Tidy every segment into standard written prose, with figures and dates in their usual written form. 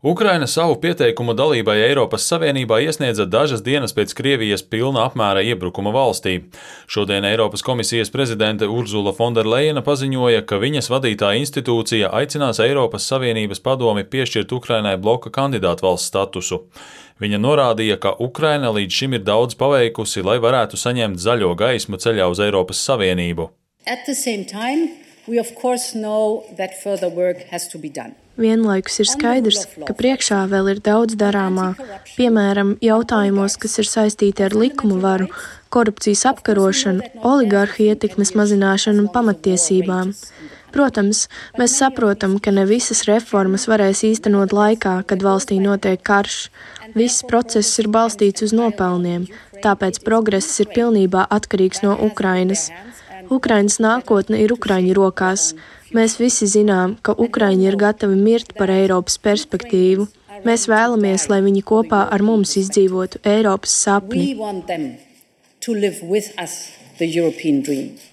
Ukraina savu pieteikumu dalībai Eiropas Savienībā iesniedza dažas dienas pēc Krievijas pilna apmēra iebrukuma valstī. Šodien Eiropas komisijas prezidente Urzula Fonderlejena paziņoja, ka viņas vadītā institūcija aicinās Eiropas Savienības padomi piešķirt Ukrainai bloka kandidātvalsts statusu. Viņa norādīja, ka Ukraina līdz šim ir daudz paveikusi, lai varētu saņemt zaļo gaismu ceļā uz Eiropas Savienību. Vienlaikus ir skaidrs, ka priekšā vēl ir daudz darāmā, piemēram, jautājumos, kas ir saistīti ar likumu varu, korupcijas apkarošanu, oligarhu ietekmes mazināšanu un pamattiesībām. Protams, mēs saprotam, ka ne visas reformas varēs īstenot laikā, kad valstī notiek karš. Viss process ir balstīts uz nopelniem, tāpēc progress ir pilnībā atkarīgs no Ukrainas. Ukrainas nākotne ir Ukraiņu rokās. Mēs visi zinām, ka Ukraiņi ir gatavi mirt par Eiropas perspektīvu. Mēs vēlamies, lai viņi kopā ar mums izdzīvotu Eiropas sapni.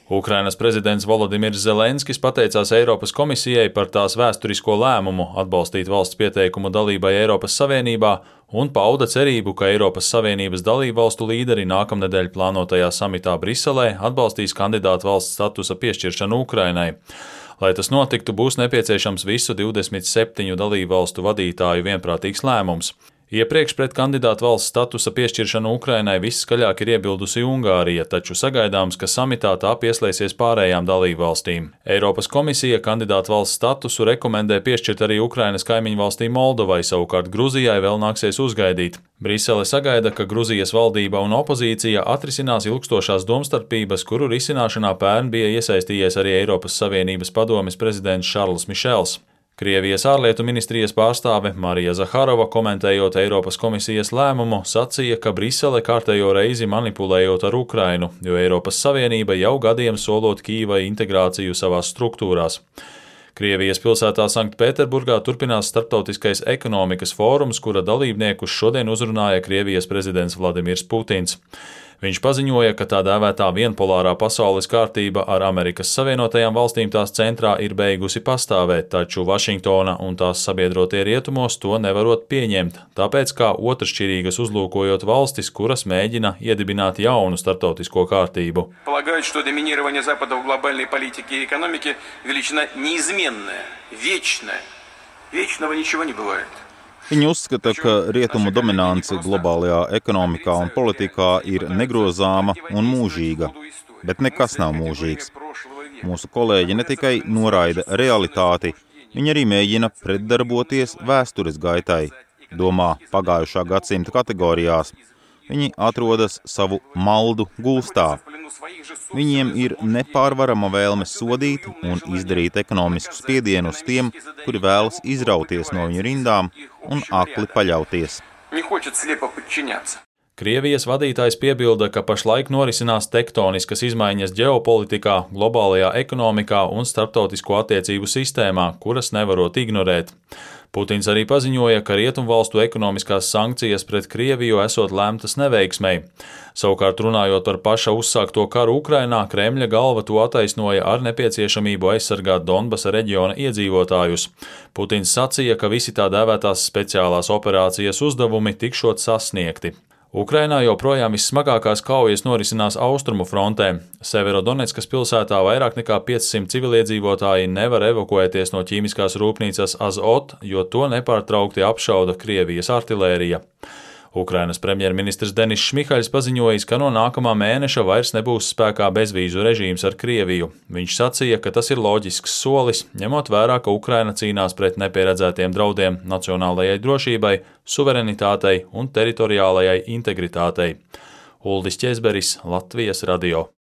Ukrainas prezidents Volodimirs Zelenskis pateicās Eiropas komisijai par tās vēsturisko lēmumu atbalstīt valsts pieteikumu dalībai Eiropas Savienībā un pauda cerību, ka Eiropas Savienības dalībvalstu līderi nākamnedēļ plānotajā samitā Briselē atbalstīs kandidātu valsts statusa piešķiršanu Ukrainai. Lai tas notiktu, būs nepieciešams visu 27 dalībvalstu vadītāju vienprātīgs lēmums. Iepriekš pret kandidātu valsts statusa piešķiršanu Ukrainai viskaļāk ir iebildusi Ungārija, taču sagaidāms, ka samitā tā pieslēsies pārējām dalībvalstīm. Eiropas komisija kandidātu valsts statusu rekomendē piešķirt arī Ukrainas kaimiņu valstī Moldovai, savukārt Gruzijai vēl nāksies uzgaidīt. Brisele sagaida, ka Gruzijas valdība un opozīcija atrisinās ilgstošās domstarpības, kuru risināšanā pērn bija iesaistījies arī Eiropas Savienības padomes prezidents Šarls Mišels. Krievijas ārlietu ministrijas pārstāve Marija Zaharova, komentējot Eiropas komisijas lēmumu, sacīja, ka Brisele kārtējo reizi manipulējot ar Ukrainu, jo Eiropas Savienība jau gadiem solot Kīvai integrāciju savās struktūrās. Krievijas pilsētā Sanktpēterburgā turpinās starptautiskais ekonomikas fórums, kura dalībniekus šodien uzrunāja Krievijas prezidents Vladimirs Putins. Viņš paziņoja, ka tā dēvētā vienpolārā pasaules kārtība ar Amerikas Savienotajām valstīm tās centrā ir beigusi pastāvēt, taču Vašingtona un tās sabiedrotie rietumos to nevarot pieņemt, tāpēc kā otršķirīgas uzlūkojot valstis, kuras mēģina iedibināt jaunu starptautisko kārtību. Полагают, что доминирование Запада в глобальной политике и экономике величина неизменная, вечная. Вечного ничего не бывает. Viņi uzskata, ka rietumu dominance globālajā ekonomikā un politikā ir negrozāma un mūžīga, bet nekas nav mūžīgs. Mūsu kolēģi ne tikai noraida realitāti, viņi arī mēģina pretdarboties vēstures gaitai, domā pagājušā gadsimta kategorijās. Viņi atrodas savu maldu gulstā. Viņiem ir nepārvarama vēlme sodīt un izdarīt ekonomisku spiedienu uz tiem, kuri vēlas izrauties no viņu rindām un akli paļauties. Krievijas vadītājs piebilda, ka pašlaik norisinās tektoniskas izmaiņas ģeopolitikā, globālajā ekonomikā un starptautisko attiecību sistēmā, kuras nevarot ignorēt. Putins arī paziņoja, ka rietumvalstu ekonomiskās sankcijas pret Krieviju esot lemtas neveiksmei. Savukārt runājot par paša uzsākto karu Ukrainā, Kremļa galva to attaisnoja ar nepieciešamību aizsargāt Donbasa reģiona iedzīvotājus. Putins sacīja, ka visi tā dēvētās speciālās operācijas uzdevumi tikšot sasniegti. Ukrainā joprojām vissmagākās kaujas norisinās austrumu frontē. Severodoneckas pilsētā vairāk nekā 500 civiliedzīvotāji nevar evakuēties no ķīmiskās rūpnīcas Azot, jo to nepārtraukti apšauda Krievijas artilērija. Ukrainas premjerministrs Denis Šmihaļs paziņojis, ka no nākamā mēneša vairs nebūs spēkā bezvīzu režīms ar Krieviju. Viņš sacīja, ka tas ir loģisks solis, ņemot vērā, ka Ukraina cīnās pret nepieredzētiem draudiem nacionālajai drošībai, suverenitātei un teritoriālajai integritātei. Uldis Ķezberis, Latvijas radio.